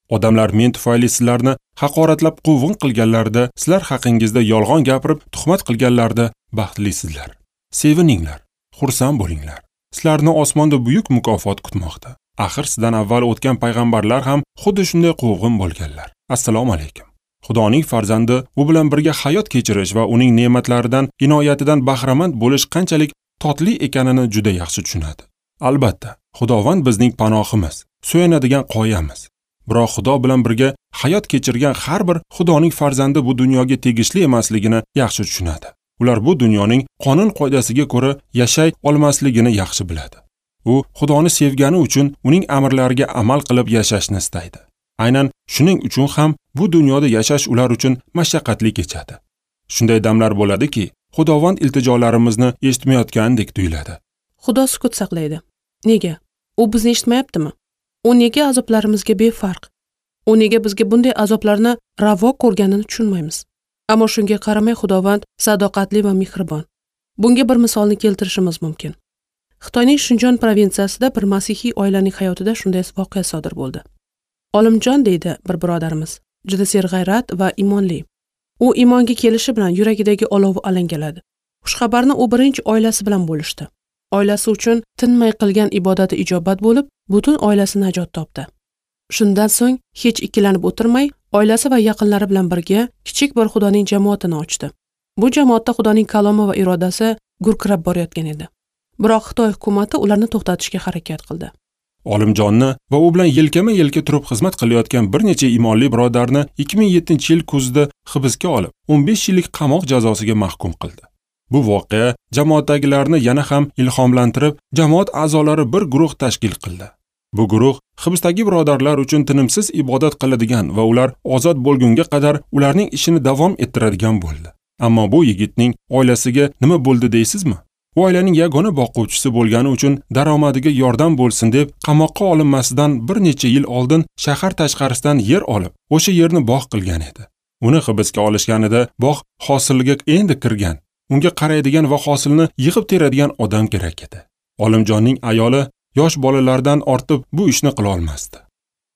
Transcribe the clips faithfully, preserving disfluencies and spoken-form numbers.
Odamlar men tufayli sizlarni haqoratlab quvg'in qilganlarida, sizlar haqingizda yolg'on gapirib tuhmat qilganlarida baxtlisizlar. Sevininglar, xursand bo'linglar. Sizlarni osmonda buyuk mukofot kutmoqda. Axir sizdan avval o'tgan payg'ambarlar ham xuddi shunday quvg'in bo'lganlar. Assalomu alaykum. Xudoning farzandi u bilan birga hayot kechirish va uning ne'matlaridan, inoyatidan bahramand bo'lish qanchalik totli ekanini juda yaxshi tushunadi. Albatta, Xudovand bizning panohimiz, suyanadigan qoyamiz. Biroq Xudo bilan birga hayot kechirgan har bir Xudoning farzandi bu dunyoga tegishli emasligini yaxshi tushunadi. Ular bu dunyoning qonun qoidasiga ko'ra yashay olmasligini yaxshi biladi. U Xudoni sevgani uchun uning amrlariga amal qilib yashashni istaydi. Aynan shuning uchun ham bu dunyoda yashash ular uchun mashaqqatli kechadi. Shunday damlar bo'ladiki, Xudovand iltijolarimizni eshitmayotgandek tuyuladi. Xudo sukut saqlaydi. Nega? U bizni eshitmayaptimi? U nega azoblarimizga befarq? U nega bizga bunday azoblarni ravo ko'rganini tushunmaymiz. Ammo shunga qaramay Xudovand sadoqatli va mehribon. Bunga bir misolni keltirishimiz mumkin. Xitoyning Shinjon provinsiyasida bir masihiy oilaning hayotida shunday voqea sodir bo'ldi. Olimjon deydi bir birodarimiz, juda serg'ayrat va iymonli. U iymonga kelishi bilan yuragidagi olovi alangaladi. Xushxabarni u birinchi oilasi bilan bo'lishdi. Oilasi uchun tinmay qilgan ibodati ijobat bo'lib, butun oilasi najot topdi. Shundan so'ng hech ikkilanib o'tirmay, oilasi va yaqinlari bilan birga kichik bir Xudoning jamoatini ochdi. Bu jamoatda Xudoning kalomi va irodasi gurkirab borayotgan edi. Biroq Xitoy hukumati ularni to'xtatishga harakat qildi. Olimjonni va u bilan yelkama-yelka turib xizmat qilayotgan bir necha iymonli birodarni ikki ming yettinchi yil kuzida hibsga olib, o'n besh yillik qamoq jazosiga mahkum qildi. Bu voqea jamoatdagilarni yana ham ilhomlantirib, jamoat a'zolari bir guruh tashkil qildi. Bu guruh hibsdagi birodarlar uchun tinimsiz ibodat qiladigan va ular ozod bo'lgunga qadar ularning ishini davom ettiradigan bo'ldi. Ammo bu yigitning oilasiga nima bo'ldi deysizmi? U oilaning yagona boquvchisi bo'lgani uchun daromadiga yordam bo'lsin deb qamoqqa olinmasidan bir necha yil oldin shahar tashqarisidan yer olib, o'sha yerni bog' qilgan edi. Uni hibsga olishganida bog' hosilga endi kirgan, unga qaraydigan va hosilni yig'ib teradigan odam kerak edi. Olimjonning ayoli yosh bolalardan ortib bu ishni qila olmasdi.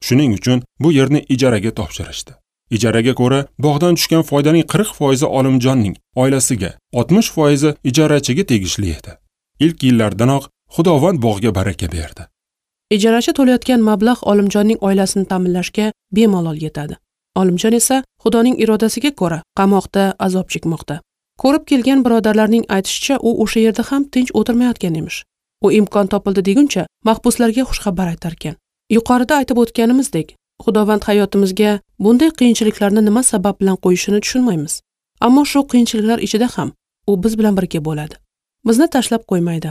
Shuning uchun bu yerni ijaraga topshirishdi. Ijaraga ko'ra bog'dan tushgan foydaning qirq foizi Olimjonning oilasiga, oltmish foizi ijarachiga tegishli edi. Ilk yillardanoq Xudovand bog'ga baraka berdi. Ijarachi to'layotgan mablag' Olimjonning oilasini ta'minlashga bemalol yetadi. Olimjon esa Xudoning irodasiga ko'ra qamoqda azob chekmoqda. Ko'rib kelgan birodarlarning aytishicha, u o'sha yerda ham tinch o'tirmayotgan emish. U imkon topildi deguncha mahbuslarga xushxabar aytar ekan. Yuqorida aytib o'tganimizdek, Xudovand hayotimizga bunday qiyinchiliklarni nima sabab bilan qo'yishini tushunmaymiz. Ammo shu qiyinchiliklar ichida ham u biz bilan birga bo'ladi. Bizni tashlab qo'ymaydi.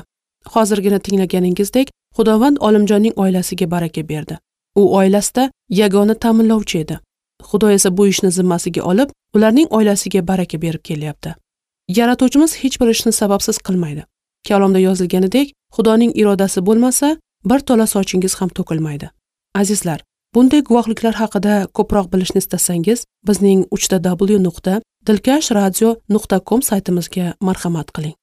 Hozirgina tinglaganingizdek, Xudovand Olimjonning oilasiga baraka berdi. U oilasida yagona ta'minlovchi edi. Xudo esa bu ishni zimmasiga olib, ularning oilasiga baraka berib kelyapti. Yaratuvchimiz hech bir ishni sababsiz qilmaydi. Kalomda yozilganidek, Xudoning irodasi bo'lmasa, bir tola sochingiz ham to'kilmaydi. Azizlar, bunday guvohliklar haqida ko'proq bilishni istasangiz, bizning uch ta w nuqta dilkash radio nuqta com saytimizga marhamat qiling.